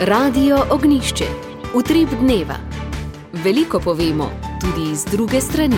Radio Ognjišče. Utrip dneva. Veliko povemo, tudi z druge strani.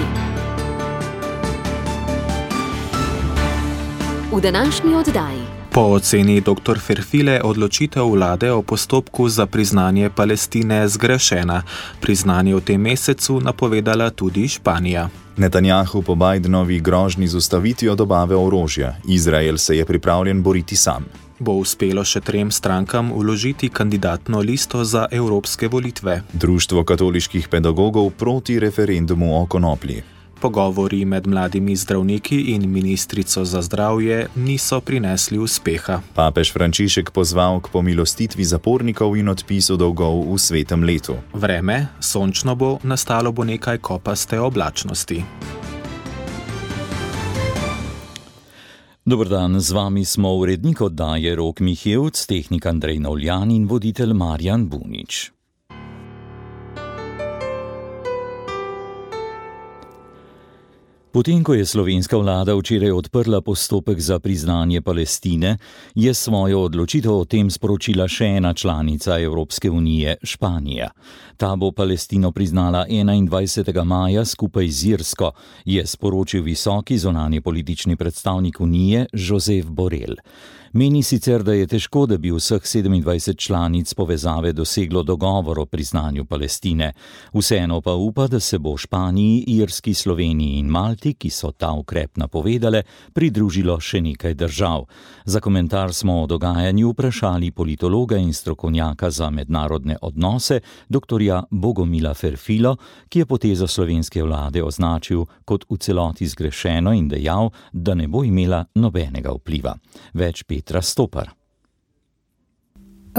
V današnji oddaji. Po oceni dr. Ferfile odločitev vlade o postopku za priznanje Palestine zgrešena. Priznanje v tem mesecu napovedala tudi Španija. Netanjahu po Bidenovi grožnji z ustavitvijo dobave orožja. Izrael se je pripravljen boriti sam. Bo uspelo še 3 strankam vložiti kandidatno listo za evropske volitve. Društvo katoliških pedagogov proti referendumu o konoplji. Pogovori med mladimi zdravniki in ministrico za zdravje niso prinesli uspeha. Papež Frančišek pozval k pomilostitvi zapornikov in odpisu dolgov v svetem letu. Vreme, sončno bo, nastalo bo nekaj kopaste oblačnosti. Dober dan, z vami smo urednik oddaje Rok Mihevc, tehnik Andrej Navljan in voditelj Marjan Bunič. Potem, ko je slovenska vlada včeraj odprla postopek za priznanje Palestine, je svojo odločitev o tem sporočila še ena članica Evropske unije, Španija. Ta bo Palestino priznala 21. maja skupaj z Irsko, je sporočil visoki zunanji politični predstavnik unije Josep Borrell. Meni sicer, da je težko, da bi vseh 27 članic povezave doseglo dogovor o priznanju Palestine. Vseeno pa upa, da se bo Španiji, Irski, Sloveniji in Malti, ki so ta ukrep napovedale, pridružilo še nekaj držav. Za komentar smo o dogajanju vprašali politologa in strokovnjaka za mednarodne odnose, doktorja Bogomila Ferfilo, ki je potezo slovenske vlade označil kot v celoti zgrešeno in dejal, da ne bo imela nobenega vpliva. Več Petra Stopar.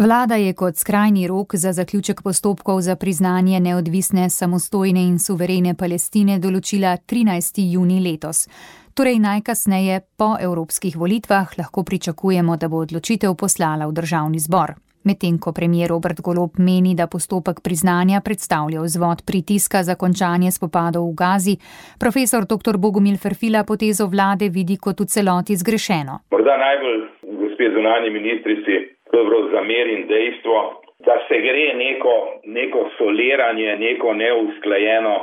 Vlada je kot skrajni rok za zaključek postopkov za priznanje neodvisne, samostojne in suverene Palestine določila 13. junij letos. Torej najkasneje po evropskih volitvah lahko pričakujemo, da bo odločitev poslala v državni zbor. Medtem ko premier Robert Golob meni, da postopek priznanja predstavlja vzvod pritiska za končanje spopadov v Gazi, profesor dr. Bogomil Ferfila potezo vlade vidi kot v celoti zgrešeno. Morda najbolj, gospe zunanji ministrici, zamerim dejstvo, da se gre neko soliranje, neko neusklajeno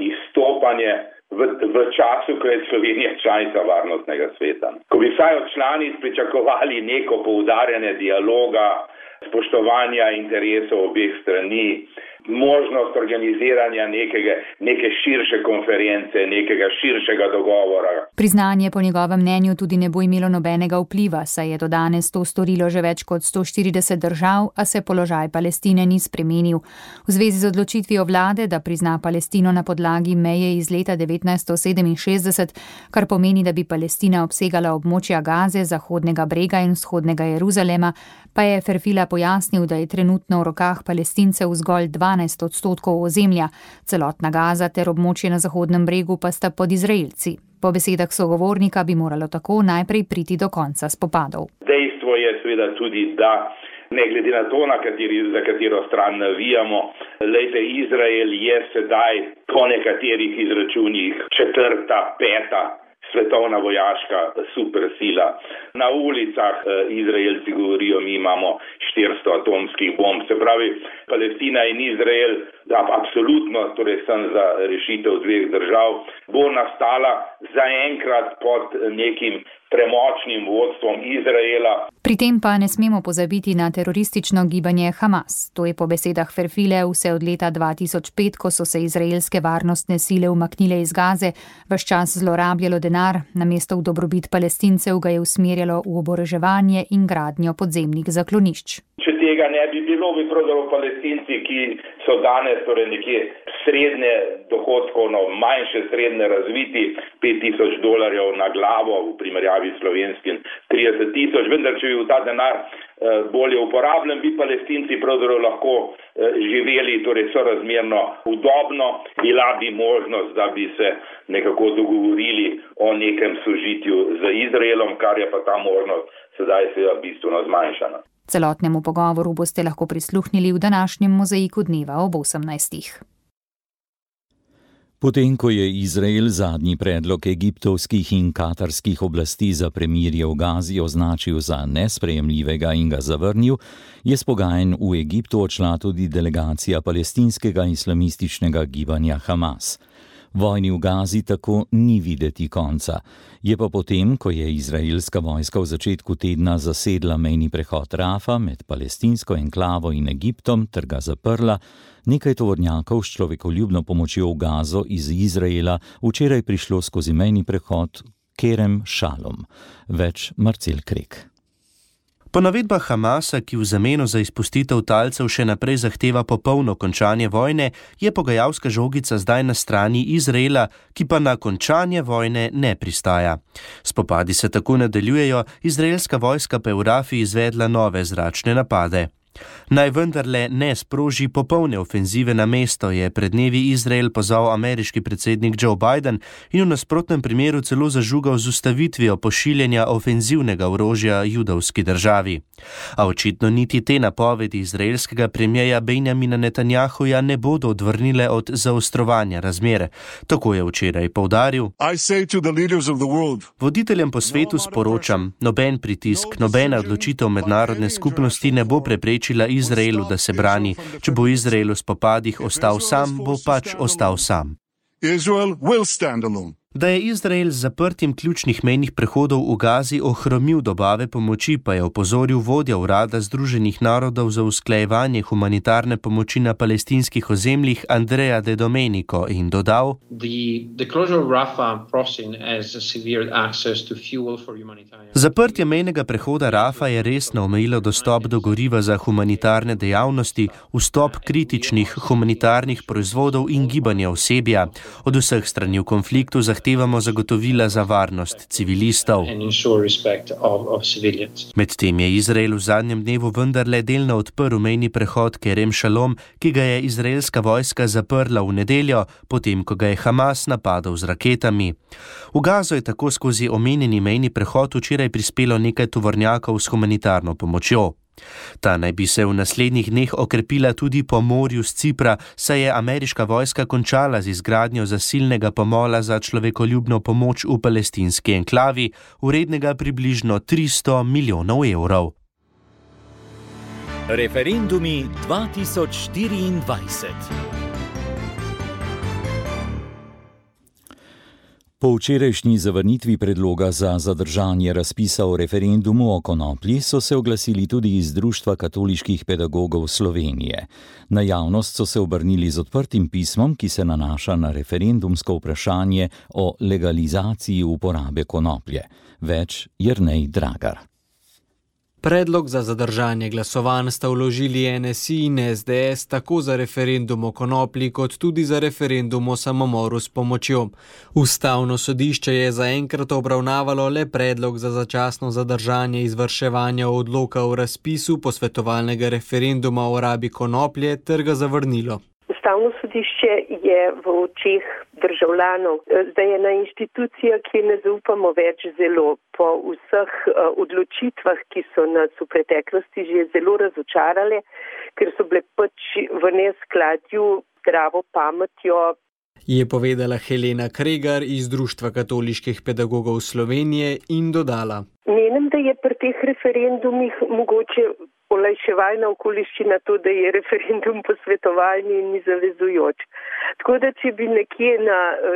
izstopanje v času, ko je Slovenija članica varnostnega sveta. Ko bi vsaj od članic pričakovali neko poudarjanje dialoga, spoštovanja interesov obeh strani, možnost organiziranja neke širše konference, nekega širšega dogovora. Priznanje po njegovem mnenju tudi ne bo imelo nobenega vpliva, saj je do danes to storilo že več kot 140 držav, a se položaj Palestine ni spremenil. V zvezi z odločitvijo vlade, da prizna Palestino na podlagi meje iz leta 1967, kar pomeni, da bi Palestina obsegala območja Gaze, Zahodnega brega in Vzhodnega Jeruzalema, pa je Ferfila pojasnil, da je trenutno v rokah Palestincev zgolj 12% ozemlja, celotna Gaza ter območje na Zahodnem bregu pa sta pod Izraelci. Po besedah sogovornika bi moralo tako najprej priti do konca spopadov. Dejstvo je seveda tudi, da ne glede na to, za katero stran navijamo, Izrael je sedaj po nekaterih izračunih 4., 5. svetovna vojaška supersila. Na ulicah Izraelci govorijo, mi imamo 400 atomskih bomb. Se pravi, Palestina in Izrael, absolutno, torej sem za rešitev 2 držav, bo nastala zaenkrat pod nekim premočnim vodstvom Izraela. Pri tem pa ne smemo pozabiti na teroristično gibanje Hamas. To je po besedah Ferfile vse od leta 2005, ko so se izraelske varnostne sile umaknile iz Gaze, ves čas zlorabljalo denar, namesto v dobrobit Palestincev ga je usmerjalo v oboroževanje in gradnjo podzemnih zaklonišč. Če tega ne bi bilo, bi pravzaprav Palestinci, ki so danes torej nekje srednje dohodkovno, manjše srednje razviti, $5,000 na glavo v primerjavi s slovenskim 30,000, vendar če bi v ta denar bolje uporabljen, bi Palestinci pravzaprav lahko živeli torej sorazmerno udobno, bila bi možnost, da bi se nekako dogovorili o nekem sožitju z Izraelom, kar je pa ta možnost sedaj seveda bistveno zmanjšana. Celotnemu pogovoru boste lahko prisluhnili v današnjem mozaiku dneva ob 18. Potem, ko je Izrael zadnji predlog egiptovskih in katarskih oblasti za premirje v Gazi označil za nesprejemljivega in ga zavrnil, je s pogajanj v Egiptu odšla tudi delegacija palestinskega islamističnega gibanja Hamas. Vojni v Gazi tako ni videti konca. Je pa potem, ko je izraelska vojska v začetku tedna zasedla mejni prehod Rafa med palestinsko enklavo in Egiptom ter ga zaprla, nekaj tovornjakov s človekoljubno pomočjo v Gazo iz Izraela včeraj prišlo skozi mejni prehod Kerem Šalom. Več Marcel Krek. Po navedbah Hamasa, ki v zameno za izpustitev talcev še naprej zahteva popolno končanje vojne, je pogajalska žogica zdaj na strani Izraela, ki pa na končanje vojne ne pristaja. Spopadi se tako nadaljujejo, izraelska vojska pa je v Rafi izvedla nove zračne napade. Naj vendarle ne sproži popolne ofenzive na mesto, je pred dnevi Izrael pozval ameriški predsednik Joe Biden in v nasprotnem primeru celo zažugal z ustavitvijo pošiljanja ofenzivnega orožja judovski državi. A očitno niti te napovedi izraelskega premierja Benjamina Netanjahuja ne bodo odvrnile od zaostrovanja razmer. Tako je včeraj poudaril: Voditeljem po svetu sporočam, noben pritisk, nobena odločitev mednarodne skupnosti ne bo preprečila Izraelu, da se brani. Če bo Izrael v spopadih ostal sam, bo pač ostal sam. Da je Izrael z zaprtjem ključnih mejnih prehodov v Gazi ohromil dobave pomoči, pa je opozoril vodja urada Združenih narodov za usklajevanje humanitarne pomoči na palestinskih ozemljih Andrea De Domenico in dodal: Zaprtje mejnega prehoda Rafa je resno omejilo dostop do goriva za humanitarne dejavnosti, vstop kritičnih humanitarnih proizvodov in gibanja osebja. Od vseh strani v konfliktu zahtevamo zagotovila za varnost civilistov. Medtem je Izrael v zadnjem dnevu vendarle delno odprl mejni prehod Kerem Šalom, ki ga je izraelska vojska zaprla v nedeljo, potem ko ga je Hamas napadal z raketami. V Gazo je tako skozi omenjeni mejni prehod včeraj prispelo nekaj tovornjakov s humanitarno pomočjo. Ta naj bi se v naslednjih dneh okrepila tudi po morju z Cipra, saj je ameriška vojska končala z izgradnjo zasilnega pomola za človekoljubno pomoč v palestinski enklavi, vrednega približno 300 milijonov evrov. Referendumi 2024. Po včerajšnji zavrnitvi predloga za zadržanje razpisa o referendumu o konoplji so se oglasili tudi iz Društva katoliških pedagogov Slovenije. Na javnost so se obrnili z odprtim pismom, ki se nanaša na referendumsko vprašanje o legalizaciji uporabe konoplje. Več Jernej Dragar. Predlog za zadržanje glasovanj sta vložili NSI in SDS tako za referendum o konoplji kot tudi za referendum o samomoru s pomočjo. Ustavno sodišče je zaenkrat obravnavalo le predlog za začasno zadržanje izvrševanja odloka o razpisu posvetovalnega referenduma o rabi konoplje ter ga zavrnilo. Ustavno sodišče je v očeh državljanov zdaj ena institucija, ki ne zaupamo več zelo. Po vseh odločitvah, ki so nas v preteklosti že zelo razočarale, ker so bile pač v neskladju z zdravo pametjo. Je povedala Helena Kregar iz Društva katoliških pedagogov Slovenije in dodala: Menim, da je pri teh referendumih mogoče olajševalna okoliščina to, da je referendum posvetovalni in ni zavezujoč. Tako da, če bi nekje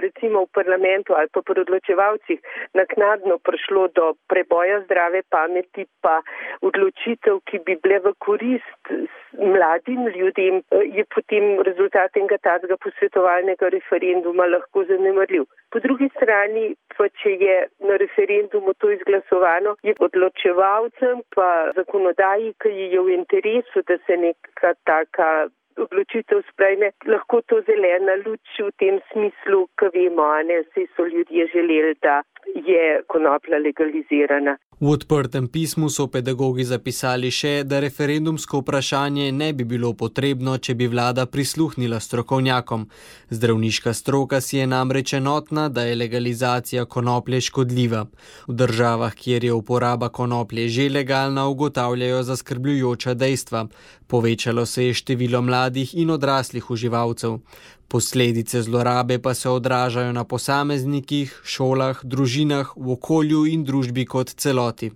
recimo v parlamentu ali pa pri odločevalcih naknadno prišlo do preboja zdrave pameti pa odločitev, ki bi bile v korist mladim ljudem, je potem rezultat enega takega posvetovalnega referenduma lahko zanemarljiv. Po drugi strani, pa če je na referendumu to izglasovano, je odločevalcem pa zakonodaji, ki je v interesu, da se neka taka odločitev sprejme, lahko to zelena luč v tem smislu, ki vemo, saj so ljudje želeli, da je konoplja legalizirana. V odprtem pismu so pedagogi zapisali še, da referendumsko vprašanje ne bi bilo potrebno, če bi vlada prisluhnila strokovnjakom. Zdravniška stroka si je namreč enotna, da je legalizacija konoplje škodljiva. V državah, kjer je uporaba konoplje že legalna, ugotavljajo zaskrbljujoča dejstva. Povečalo se je število mladih in odraslih uživalcev. Posledice zlorabe pa se odražajo na posameznikih, šolah, družinah, v okolju in družbi kot celoti.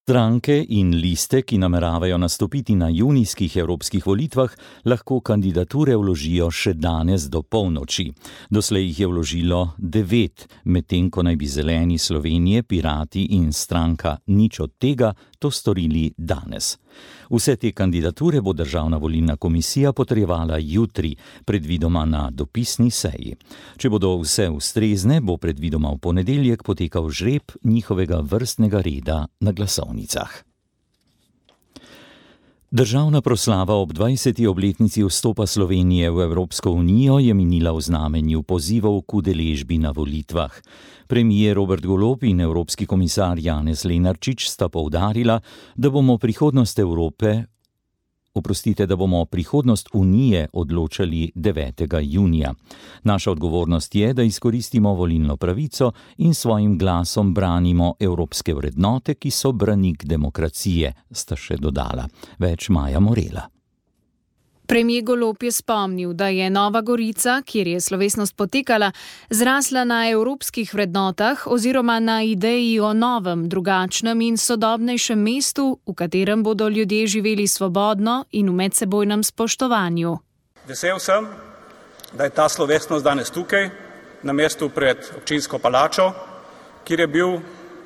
Stranke in liste, ki nameravajo nastopiti na junijskih evropskih volitvah, lahko kandidature vložijo še danes do polnoči. Doslej jih je vložilo 9, medtem ko naj bi Zeleni Slovenije, Pirati in stranka Nič od tega to storili danes. Vse te kandidature bo Državna volilna komisija potrjevala jutri, predvidoma na dopisni seji. Če bodo vse ustrezne, bo predvidoma v ponedeljek potekal žreb njihovega vrstnega reda na glasovnicah. Državna proslava ob 20. obletnici vstopa Slovenije v Evropsko unijo je minila v znamenju pozivov k udeležbi na volitvah. Premier Robert Golob in evropski komisar Janez Lenarčič sta poudarila, da bomo prihodnost Unije odločali 9. junija. Naša odgovornost je, da izkoristimo volilno pravico in svojim glasom branimo evropske vrednote, ki so branik demokracije, sta še dodala. Več Maja Morela. Premier Golob je spomnil, da je Nova Gorica, kjer je slovesnost potekala, zrasla na evropskih vrednotah oziroma na ideji o novem, drugačnem in sodobnejšem mestu, v katerem bodo ljudje živeli svobodno in v medsebojnem spoštovanju. Vesel sem, da je ta slovesnost danes tukaj, na mestu pred občinsko palačo, kjer je bil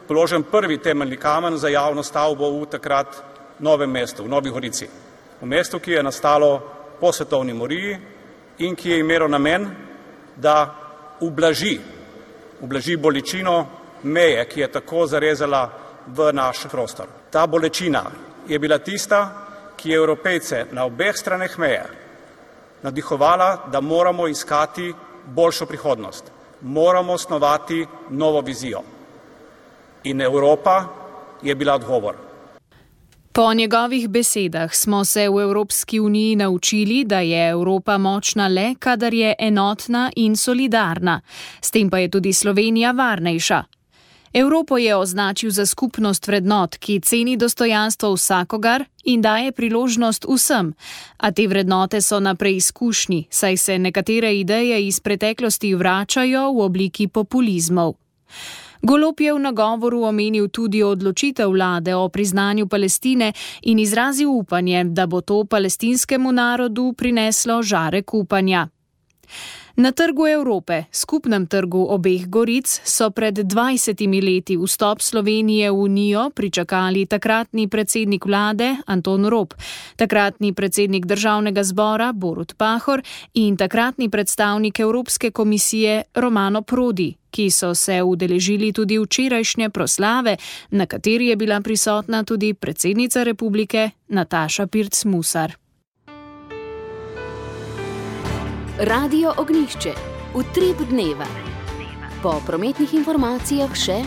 položen prvi temeljni kamen za javno stavbo v takrat novem mestu, v Novi Gorici. V mestu, ki je nastalo po svetovni moriji in ki je imelo namen, da ublaži bolečino meje, ki je tako zarezala v naš prostor. Ta bolečina je bila tista, ki je Evropejce na obeh straneh meje navdihovala, da moramo iskati boljšo prihodnost. Moramo snovati novo vizijo. In Evropa je bila odgovor. Po njegovih besedah smo se v Evropski uniji naučili, da je Evropa močna le, kadar je enotna in solidarna. S tem pa je tudi Slovenija varnejša. Evropo je označil za skupnost vrednot, ki ceni dostojanstvo vsakogar in daje priložnost vsem. A te vrednote so na preizkušnji, saj se nekatere ideje iz preteklosti vračajo v obliki populizmov. Golob je v nagovoru omenil tudi odločitev vlade o priznanju Palestine in izrazil upanje, da bo to palestinskemu narodu prineslo žarek upanja. Na trgu Evrope, skupnem trgu obeh Goric, so pred 20 leti vstop Slovenije v Unijo pričakali takratni predsednik vlade Anton Rop, takratni predsednik Državnega zbora Borut Pahor in takratni predstavnik Evropske komisije Romano Prodi, ki so se udeležili tudi včerajšnje proslave, na kateri je bila prisotna tudi predsednica republike Nataša Pirc Musar. Radio Ognjišče, utrip dneva. Po prometnih informacijah še.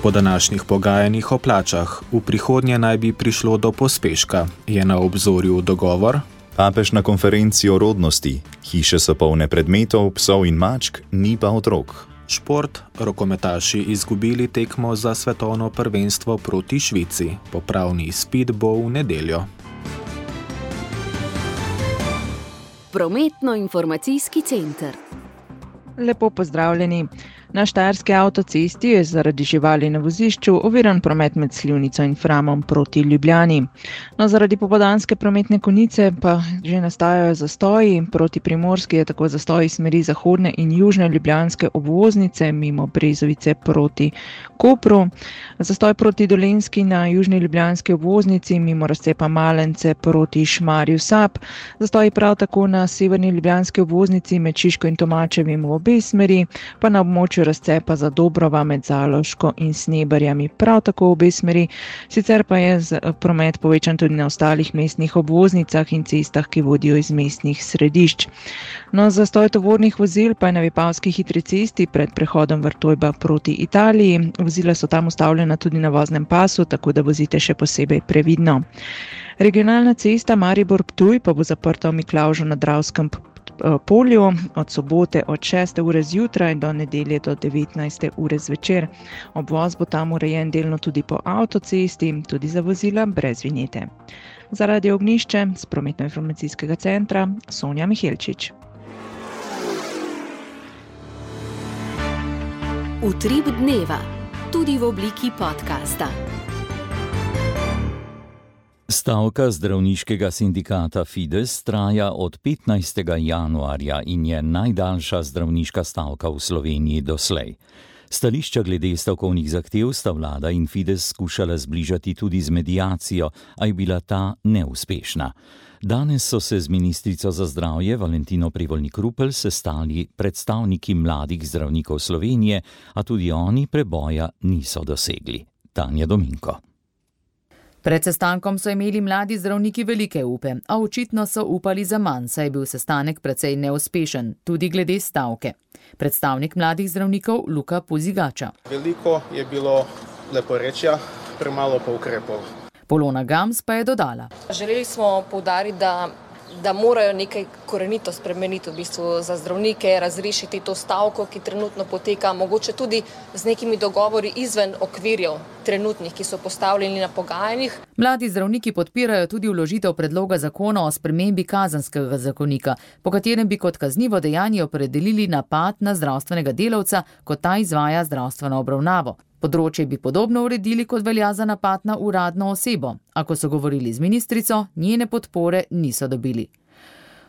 Po današnjih pogajanjih o plačah v prihodnje naj bi prišlo do pospeška. Je na obzorju dogovor? Papež na konferenci o rodnosti. Hiše so polne predmetov, psov in mačk, ni pa otrok. Šport, rokometaši izgubili tekmo za svetovno prvenstvo proti Švici. Popravni izpit bo v nedeljo. Prometno-informacijski center. Lepo pozdravljeni. Na štajerski avtocesti je zaradi živali na vozišču oviran promet med Slivnico in Framom proti Ljubljani. No, zaradi popoldanske prometne konice pa že nastajajo zastoji. Proti Primorski je tako zastoj iz smeri zahodne in južne ljubljanske obvoznice mimo Brezovice proti Kopru. Zastoj proti Dolenjski na južni ljubljanski obvoznici mimo razcepa Malence proti Šmarju Sap. Zastoj prav tako na severni ljubljanski obvoznici med Šiško in Tomačevim v obe smeri, pa na območju razcepa za Dobrova med Zaloško in Sneberjami prav tako v obe smeri. Sicer pa je promet povečan tudi na ostalih mestnih obvoznicah in cestah, ki vodijo iz mestnih središč. No, zastoj tovornih vozil pa je na Vipavski hitri cesti pred prehodom Vrtojba proti Italiji. Vozila so tam ustavljena tudi na voznem pasu, tako da vozite še posebej previdno. Regionalna cesta Maribor-Ptuj pa bo zaprta v Miklavžu na Dravskem polju od sobote od 6. ure zjutraj do nedelje do 19. ure zvečer. Obvoz bo tam urejen delno tudi po avtocesti, tudi za vozila brez vinjete. Za Radio Ognišče z prometno-informacijskega centra Sonja Mihelčič. Utrip dneva, tudi v obliki podcasta. Stavka zdravniškega sindikata Fides traja od 15. januarja in je najdaljša zdravniška stavka v Sloveniji doslej. Stališča glede stavkovnih zahtev sta vlada in Fides skušala zbližati tudi z mediacijo, a je bila ta neuspešna. Danes so se z ministrico za zdravje Valentino Prevolnik-Rupel sestali predstavniki mladih zdravnikov Slovenije, a tudi oni preboja niso dosegli. Tanja Dominko. Pred sestankom so imeli mladi zdravniki velike upe, a očitno so upali za manj, saj je bil sestanek precej neuspešen, tudi glede stavke. Predstavnik mladih zdravnikov Luka Pozigača. Veliko je bilo leporečja, premalo pa ukrepov. Polona Gams pa je dodala. Želeli smo poudariti, da morajo nekaj korenito spremeniti v bistvu za zdravnike, razrešiti to stavko, ki trenutno poteka, mogoče tudi z nekimi dogovori izven okvirjev trenutnih, ki so postavljeni na pogajanjih. Mladi zdravniki podpirajo tudi vložitev predloga zakona o spremembi kazenskega zakonika, po katerem bi kot kaznivo dejanje opredelili napad na zdravstvenega delavca, ko ta izvaja zdravstveno obravnavo. Področje bi podobno uredili, kot velja za napad na uradno osebo, a ko so govorili z ministrico, njene podpore niso dobili.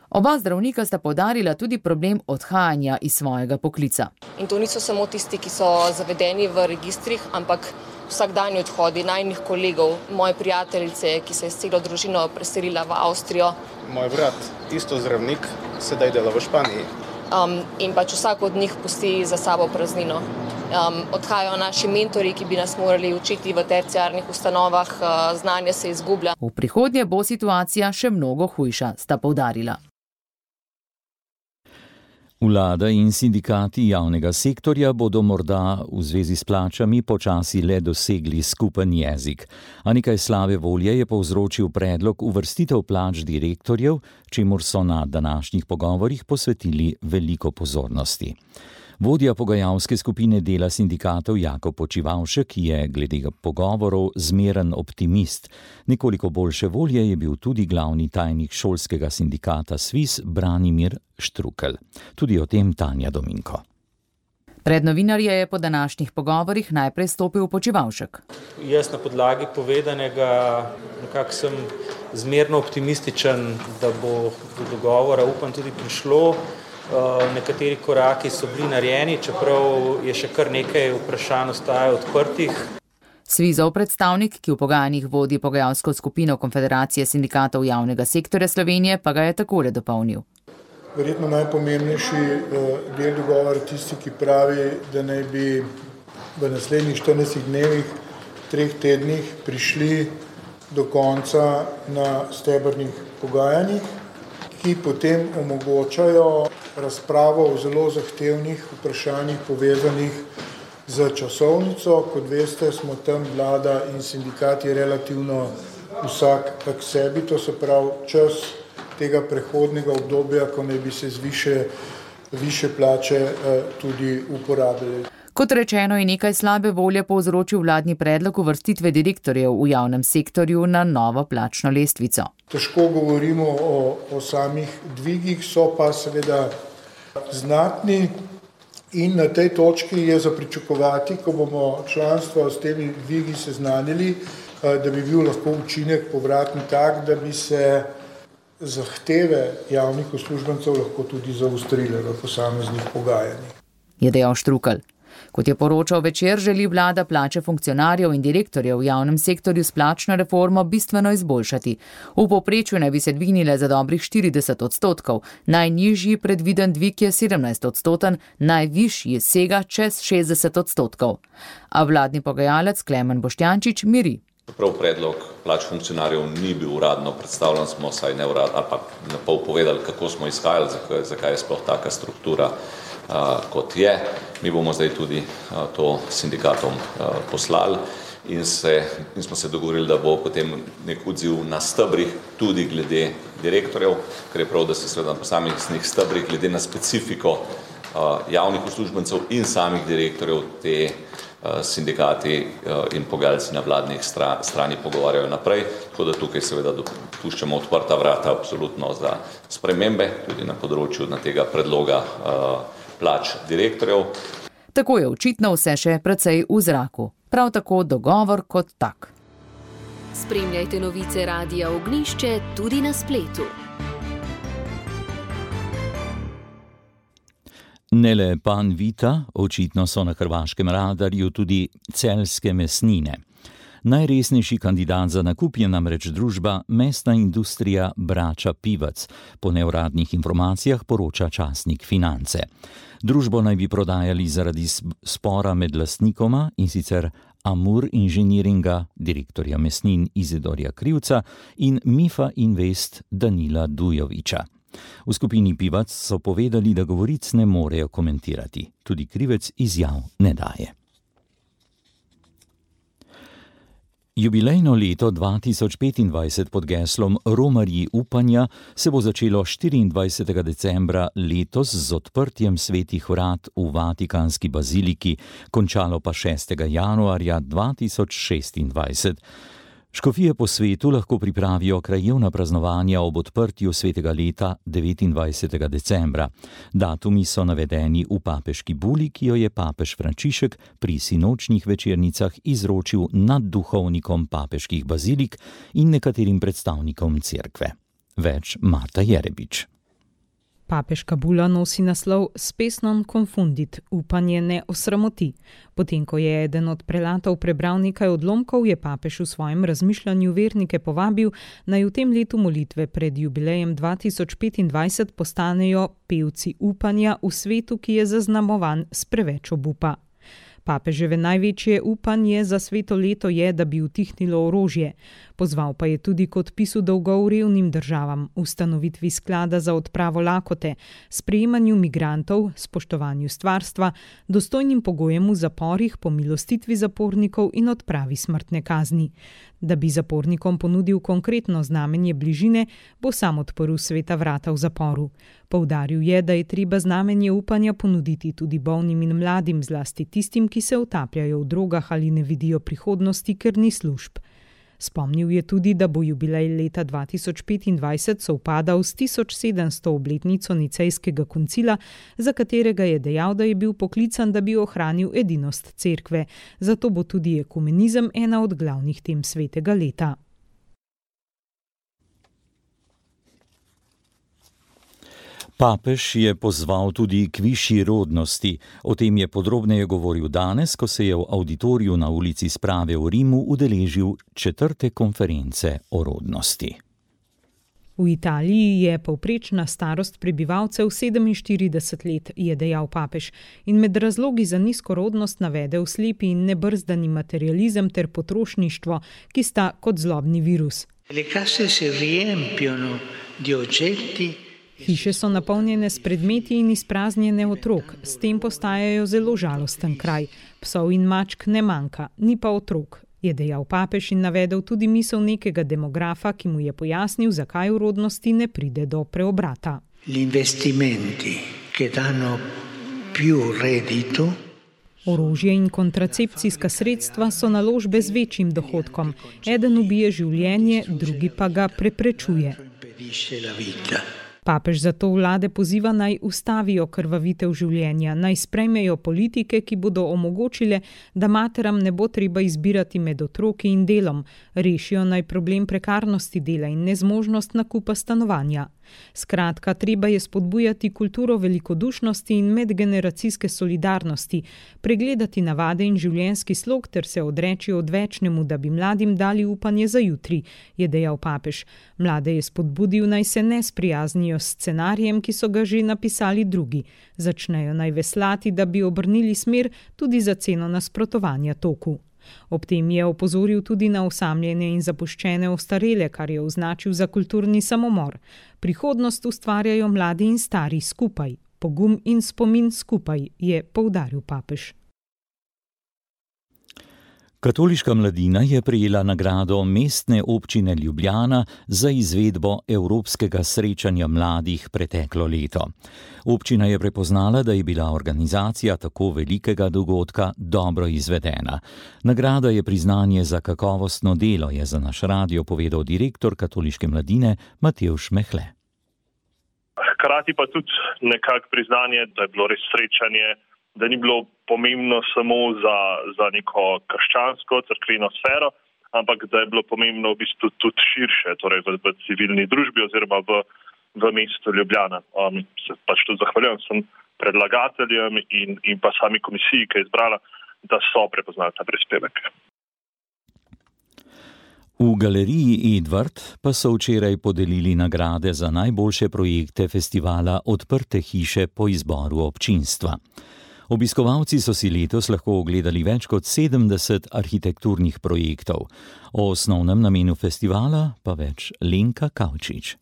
Oba zdravnika sta poudarila tudi problem odhajanja iz svojega poklica. In to niso samo tisti, ki so zavedeni v registrih, ampak vsakdanji odhodi najnih kolegov, moje prijateljice, ki se je s celo družino preselila v Avstrijo. Moj brat, isto zdravnik, sedaj dela v Španiji. In pač vsak od njih pusti za sabo praznino. Odhajajo naši mentori, ki bi nas morali učiti v terciarnih ustanovah, znanje se izgublja. V prihodnje bo situacija še mnogo hujša, sta poudarila. Vlada in sindikati javnega sektorja bodo morda v zvezi s plačami počasi le dosegli skupen jezik, a nekaj slabe volje je povzročil predlog uvrstitev plač direktorjev, čemur so na današnjih pogovorih posvetili veliko pozornosti. Vodja pogajalske skupine dela sindikatov Jakob Počivavšek je glede pogovorov zmeren optimist. Nekoliko boljše volje je bil tudi glavni tajnik šolskega sindikata SVIS Branimir Štrukelj. Tudi o tem Tanja Dominko. Pred novinarje je po današnjih pogovorih najprej stopil Počivavšek. Jaz na podlagi povedanega nekako sem zmerno optimističen, da bo do dogovora, upam, tudi prišlo. Nekateri koraki so bili narejeni, čeprav je še kar nekaj vprašanj ostaja odprtih. SVIS-ov predstavnik, ki v pogajanjih vodi pogajalsko skupino Konfederacije sindikatov javnega sektorja Slovenije, pa ga je takole dopolnil. Verjetno najpomembnejši del dogovora tisti, ki pravi, da naj bi v naslednjih 14 dnevih, 3 tednih prišli do konca na stebrnih pogajanjih, ki potem omogočajo razpravo o zelo zahtevnih vprašanjih povezanih z časovnico. Kot veste, smo tam vlada in sindikati relativno vsak k sebi, to se pravi čas tega prehodnega obdobja, ko naj bi se z više plače tudi uporabili. Kot rečeno, je nekaj slabe volje povzročil vladni predlog uvrstitve direktorjev v javnem sektorju na novo plačno lestvico. Težko govorimo o samih dvigih, so pa seveda znatni in na tej točki je za pričakovati, ko bomo članstvo s temi dvigi seznanili, da bi bil lahko učinek povratni tak, da bi se zahteve javnih uslužbencev lahko tudi zaostrile v posameznih pogajanjih. Je dejal Štrukelj. Kot je poročal Večer, želi vlada plače funkcionarjev in direktorjev v javnem sektorju s plačno reformo bistveno izboljšati. V povprečju naj bi se dvignile za dobrih 40%, najnižji predviden dvig je 17%, najvišji sega čez 60%. A vladni pogajalec Klemen Boštjančič miri. Prav predlog plač funkcionarjev ni bil uradno predstavljen, smo saj neuradno ali pa na pol povedali, kako smo izhajali, zakaj je sploh taka struktura kot je. Mi bomo zdaj tudi to sindikatom poslali in smo se dogovorili, da bo potem nek odziv na stebrih tudi glede direktorjev, ker je prav, da se seveda na posameznih stebrih glede na specifiko javnih uslužbencev in samih direktorjev te sindikati in pogajalci na vladnih strani pogovarjajo naprej, tako da tukaj seveda puščamo odprta vrata absolutno za spremembe, tudi na področju tega predloga plač direktorjev. Tako je očitno vse še precej v zraku. Prav tako dogovor kot tak. Spremljajte novice Radia Ognjišče tudi na spletu. Ne le Panvita, očitno so na hrvaškem radarju tudi celjske mesnine. Najresnejši kandidat za nakup je namreč družba Mesna industrija Brača Pivac, po neuradnih informacijah poroča časnik Finance. Družbo naj bi prodajali zaradi spora med lastnikoma, in sicer Amur Inženiringa, direktorja mesnin Izidorja Krivca, in Mifa Invest Danila Dujovića. V skupini Pivac so povedali, da govoric ne morejo komentirati. Tudi Krivec izjav ne daje. Jubilejno leto 2025 pod geslom Romarji upanja se bo začelo 24. decembra letos z odprtjem svetih vrat v Vatikanski baziliki, končalo pa 6. januarja 2026. Škofije po svetu lahko pripravijo krajevna praznovanja ob odprtju svetega leta 29. decembra. Datumi so navedeni v papeški buli, ki jo je papež Frančišek pri sinočnjih večernicah izročil nad duhovnikom papeških bazilik in nekaterim predstavnikom cerkve. Več Marta Jerebič. Papeška bula nosi naslov Spes non confundit, upanje ne osramoti. Potem, ko je eden od prelatov prebral nekaj odlomkov, je papež v svojem razmišljanju vernike povabil, naj v tem letu molitve pred jubilejem 2025 postanejo pevci upanja v svetu, ki je zaznamovan s preveč obupa. Papeževe največje upanje za sveto leto je, da bi utihnilo orožje. Pozval pa je tudi k odpisu dolgov revnim državam, ustanovitvi sklada za odpravo lakote, sprejemanju migrantov, spoštovanju stvarstva, dostojnim pogojem v zaporih, pomilostitvi zapornikov in odpravi smrtne kazni. Da bi zapornikom ponudil konkretno znamenje bližine, bo sam odprl sveta vrata v zaporu. Poudaril je, da je treba znamenje upanja ponuditi tudi bolnim in mladim, zlasti tistim, ki se utapljajo v drogah ali ne vidijo prihodnosti, ker ni služb. Spomnil je tudi, da bo jubilej leta 2025 sovpadal s 1700. obletnico Nicejskega koncila, za katerega je dejal, da je bil poklican, da bi ohranil edinost cerkve. Zato bo tudi ekumenizem ena od glavnih tem svetega leta. Papež je pozval tudi k višji rodnosti. O tem je podrobneje govoril danes, ko se je v auditoriju na ulici Sprave v Rimu udeležil 4. konference o rodnosti. V Italiji je povprečna starost prebivalcev 47 let, je dejal papež, in med razlogi za nizko rodnost navedel slepi in nebrzdani materializem ter potrošništvo, ki sta kot zlobni virus. Le case si riempiono di oggetti. Hiše so napolnjene s predmeti in izpraznjene otrok, s tem postajajo zelo žalosten kraj. Psov in mačk ne manjka, ni pa otrok, je dejal papež in navedel tudi misel nekega demografa, ki mu je pojasnil, zakaj v rodnosti ne pride do preobrata. Investimenti, ki danno più reddito. Orožje in kontracepcijska sredstva so naložbe z večjim dohodkom. Eden ubije življenje, drugi pa ga preprečuje. Papež zato vlade poziva, naj ustavijo krvavitev življenja, naj sprejmejo politike, ki bodo omogočile, da materam ne bo treba izbirati med otroki in delom, rešijo naj problem prekarnosti dela in nezmožnost nakupa stanovanja. Skratka, treba je spodbujati kulturo velikodušnosti in medgeneracijske solidarnosti, pregledati navade in življenjski slog ter se odreči odvečnemu, da bi mladim dali upanje za jutri, je dejal papež. Mlade je spodbudil, naj se ne sprijaznijo s scenarijem, ki so ga že napisali drugi. Začnejo naj veslati, da bi obrnili smer tudi za ceno nasprotovanja toku. Ob tem je opozoril tudi na osamljene in zapuščene ostarele, kar je označil za kulturni samomor. Prihodnost ustvarjajo mladi in stari skupaj, pogum in spomin skupaj, je poudaril papež. Katoliška mladina je prejela nagrado Mestne občine Ljubljana za izvedbo Evropskega srečanja mladih preteklo leto. Občina je prepoznala, da je bila organizacija tako velikega dogodka dobro izvedena. Nagrada je priznanje za kakovostno delo, je za naš radio povedal direktor Katoliške mladine Matevž Mehle. Hkrati pa tudi nekako priznanje, da je bilo res srečanje, da ni bilo pomembno samo za neko krščansko, cerkveno sfero, ampak da je bilo pomembno v bistvu tudi širše, torej v civilni družbi oziroma v mestu Ljubljana. Se pač tudi zahvaljujem sem predlagateljem in pa sami komisiji, ki je izbrala, da so prepoznali ta prispevek. V galeriji Edvard pa so včeraj podelili nagrade za najboljše projekte festivala Odprte hiše po izboru občinstva. Obiskovalci so si letos lahko ogledali več kot 70 arhitekturnih projektov. O osnovnem namenu festivala pa več Lenka Kavčič.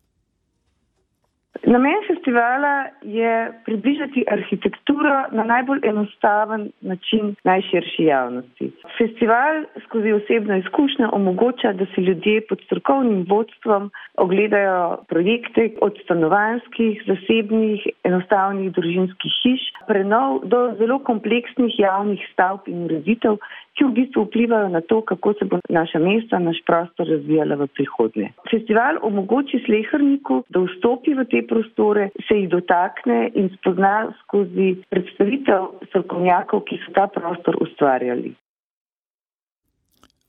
Namen festivala je približati arhitekturo na najbolj enostaven način najširši javnosti. Festival skozi osebno izkušnjo omogoča, da si ljudje pod strokovnim vodstvom ogledajo projekte od stanovanjskih, zasebnih, enostavnih družinskih hiš, prenov do zelo kompleksnih javnih stavb in ureditev, ki v bistvu vplivajo na to, kako se bo naša mesta, naš prostor razvijala v prihodnje. Festival omogoči sleherniku, da vstopi v te prostore, se jih dotakne in spozna skozi predstavitev strokovnjakov, ki so ta prostor ustvarjali.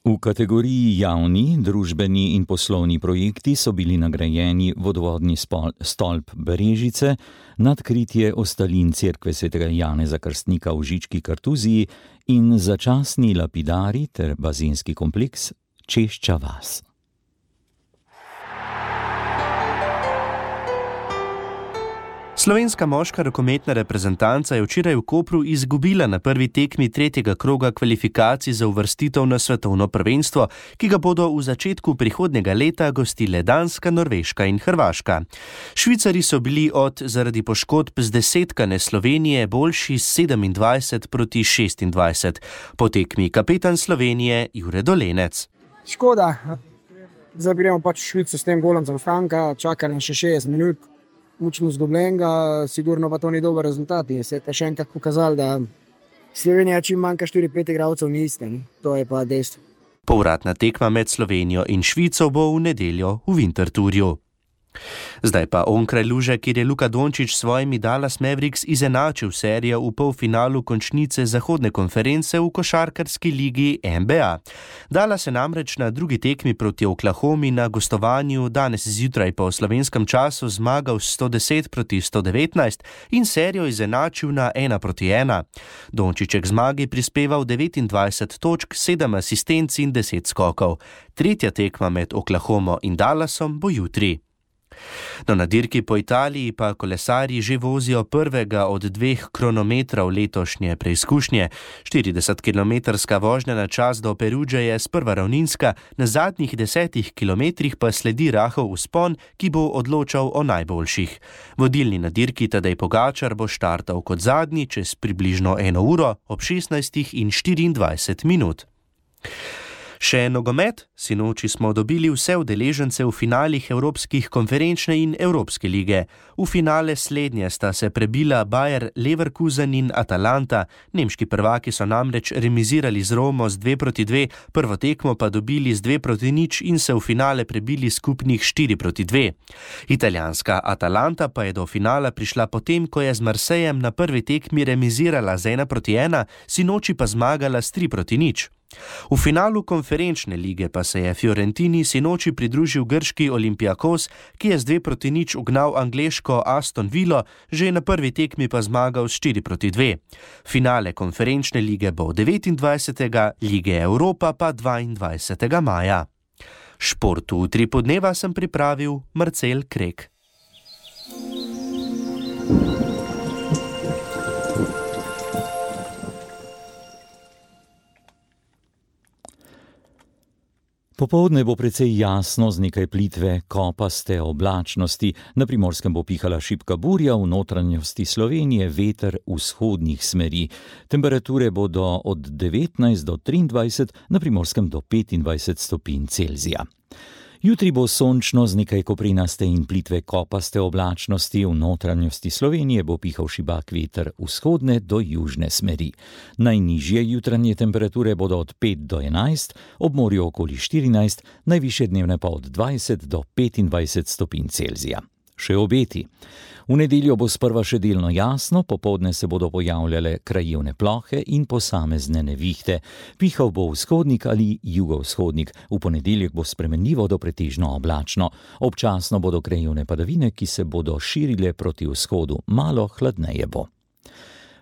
V kategoriji javni, družbeni in poslovni projekti so bili nagrajeni vodovodni stolp Berežice, nadkritje ostalin cerkve svetega Janeza Krstnika v Žički Kartuziji in začasni lapidari ter bazenski kompleks Češča vas. Slovenska moška rokometna reprezentanca je včeraj v Kopru izgubila na prvi tekmi tretjega kroga kvalifikacij za uvrstitev na svetovno prvenstvo, ki ga bodo v začetku prihodnjega leta gostile Danska, Norveška in Hrvaška. Švicari so bili zaradi poškodb zdesetkane Slovenije boljši 27-26. Po tekmi kapetan Slovenije Jure Dolenec. Škoda, zdaj gremo pač v Švico s tem golom za Franka, čaka nas še 60 minut. Mučno zgubljenega, sigurno pa to ni dober rezultat. Se je še enkrat pokazalo, da Slovenija čim manjka 4-5 igralcev ni iste. To je pa dejstvo. Povratna tekma med Slovenijo in Švico bo v nedeljo v Winterthurju. Zdaj pa onkraj luže, kjer je Luka Dončić s svojimi Dallas Mavericks izenačil serijo v polfinalu končnice zahodne konference v košarkarski ligi NBA. Dallas je namreč na drugi tekmi proti Oklahomi na gostovanju danes zjutraj po slovenskem času zmagal 110-119 in serijo izenačil na 1-1. Dončić je k zmagi prispeval 29 točk, 7 asistenc in 10 skokov. Tretja tekma med Oklahomo in Dallasom bo jutri. No, na dirki po Italiji pa kolesarji že vozijo prvega od 2 kronometrov letošnje preizkušnje. 40-kilometrska vožnja na čas do Perugge je sprva ravninska, na zadnjih 10 kilometrih pa sledi rahel vzpon, ki bo odločal o najboljših. Vodilni na dirki Tadej Pogačar bo štartal kot zadnji čez približno 1 uro ob 16:24. Še nogomet, sinoči smo dobili vse udeležence v finalih Evropskih konferenčne in Evropske lige. V finale slednje sta se prebila Bayer Leverkusen in Atalanta. Nemški prvaki so namreč remizirali z Romo z 2-2, prvo tekmo pa dobili z 2-0 in se v finale prebili skupnih 4-2. Italijanska Atalanta pa je do finala prišla potem, ko je z Marsejem na prvi tekmi remizirala z 1-1, sinoči pa zmagala s 3-0. V finalu konferenčne lige pa se je Fiorentini sinoči pridružil grški Olympiakos, ki je z 2-0 ugnal angleško Aston Villo, že na prvi tekmi pa zmagal s 4-2. Finale konferenčne lige bo 29. Lige Evropa pa 22. maja. Športu v 3 podneva sem pripravil Marcel Krek. Popoldne bo precej jasno z nekaj plitve, kopaste oblačnosti, na Primorskem bo pihala šibka burja, v notranjosti Slovenije veter vzhodnih smeri. Temperature bodo od 19 do 23, na Primorskem do 25 stopinj Celzija. Jutri bo sončno z nekaj koprenaste in plitve kopaste oblačnosti, v notranjosti Slovenije bo pihal šibak veter vzhodne do južne smeri. Najnižje jutranje temperature bodo od 5 do 11, ob morju okoli 14, najvišje dnevne pa od 20 do 25 stopinj Celzija. Še obeti. V nedeljo bo sprva še delno jasno, popoldne se bodo pojavljale krajevne plohe in posamezne nevihte. Pihal bo vzhodnik ali jugovzhodnik, v ponedeljek bo spremenljivo do pretežno oblačno. Občasno bodo krajevne padavine, ki se bodo širile proti vzhodu, malo hladneje bo.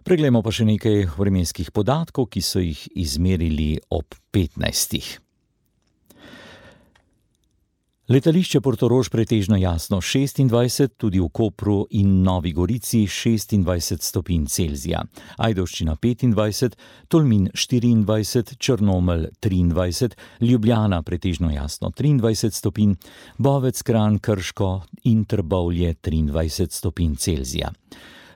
Preglejmo pa še nekaj vremenskih podatkov, ki so jih izmerili ob 15. Letališče Portorož pretežno jasno 26, tudi v Kopru in Novi Gorici 26 stopinj Celzija. Ajdovščina 25, Tolmin 24, Črnomelj 23, Ljubljana pretežno jasno 23 stopinj, Bovec, Kranj, Krško in Trbovlje 23 stopinj Celzija.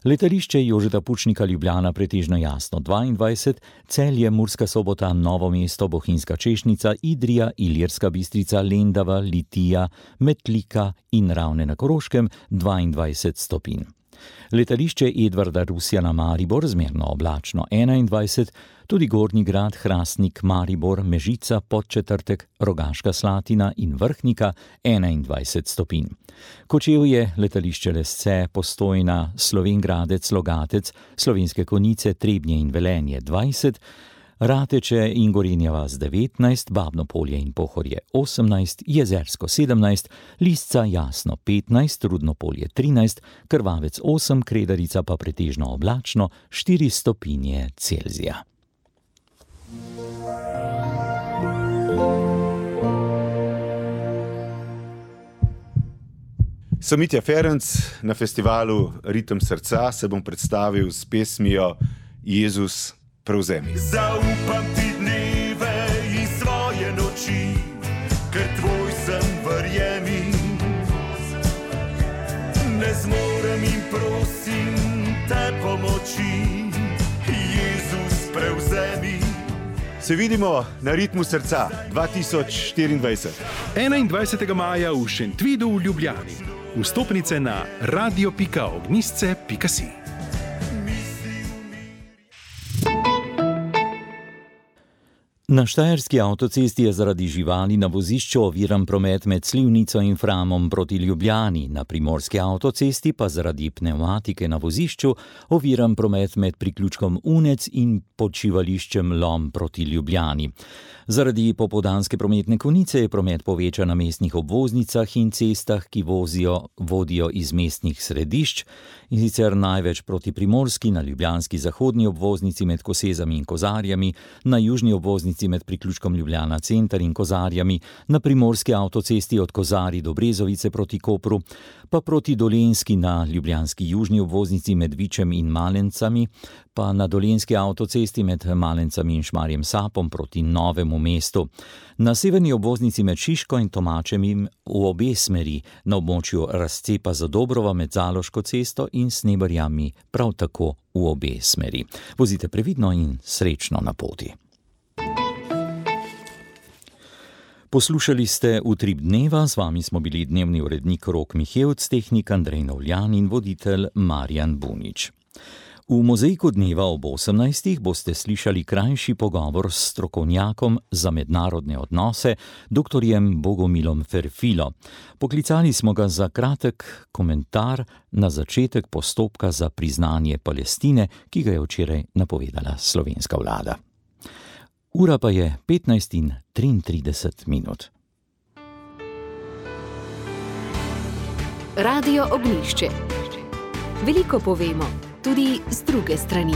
Letališče Jožeta Pučnika Ljubljana pretežno jasno 22, Celje, Murska Sobota, Novo mesto, Bohinjska Češnica, Idrija, Ilirska Bistrica, Lendava, Litija, Metlika in Ravne na Koroškem 22 stopinj. Letališče Edvarda Rusjana Maribor zmerno oblačno 21, tudi Gornji Grad, Hrastnik, Maribor, Mežica, Podčetrtek, Rogaška Slatina in Vrhnika 21 stopinj. Kočevje, letališče Lesce, Postojna, Slovenj Gradec, Logatec, Slovenske Konjice, Trebnje in Velenje 20, Rateče in Gorenja vas 19, Babno Polje in Pohorje 18, Jezersko 17, Lisca Jasno 15, Rudno Polje 13, Krvavec 8, Kredarica pa pretežno oblačno 4 stopinje Celzija. Sem Mitja Ferenc, na festivalu Ritem srca se bom predstavil s pesmijo Jezus prevzemi. Zaupam ti dneve in svoje noči, ker tvoj sem, verjemi. Ne zmorem in prosim te pomoči, Jezus prevzemi. Se vidimo na Ritmu srca 2024. 21. maja v Šentvidu v Ljubljani. Vstopnice na radio.ognisce.si. Na štajerski avtocesti je zaradi živali na vozišču oviran promet med Slivnico in Framom proti Ljubljani, na primorski avtocesti pa zaradi pnevmatike na vozišču oviran promet med priključkom Unec in počivališčem Lom proti Ljubljani. Zaradi popoldanske prometne konice je promet povečan na mestnih obvoznicah in cestah, ki vodijo iz mestnih središč, in sicer največ proti Primorski, na ljubljanski zahodni obvoznici med Kosezami in Kozarjami, na južni obvoznici med priključkom Ljubljana center in Kozarjami, na primorski avtocesti od Kozarij do Brezovice proti Kopru, pa proti Dolenjski na ljubljanski južni obvoznici med Vičem in Malencami, pa na dolenjski avtocesti med Malencami in Šmarjem Sapom proti Novemu mestu. Na severni obvoznici med Šiško in Tomačem v obe smeri, na območju razcepa Zadobrova med Zaloško cesto in Sneberjami prav tako v obe smeri. Vozite previdno in srečno na poti. Poslušali ste Utrip dneva, z vami smo bili dnevni urednik Rok Mihevc, tehnik Andrej Novljan in voditelj Marjan Bunič. V mozaiku dneva ob 18. boste slišali krajši pogovor s strokovnjakom za mednarodne odnose, doktorjem Bogomilom Ferfilo. Poklicali smo ga za kratek komentar na začetek postopka za priznanje Palestine, ki ga je včeraj napovedala slovenska vlada. Ura pa je 15:33. Radio Ognjišče. Veliko povemo, tudi z druge strani.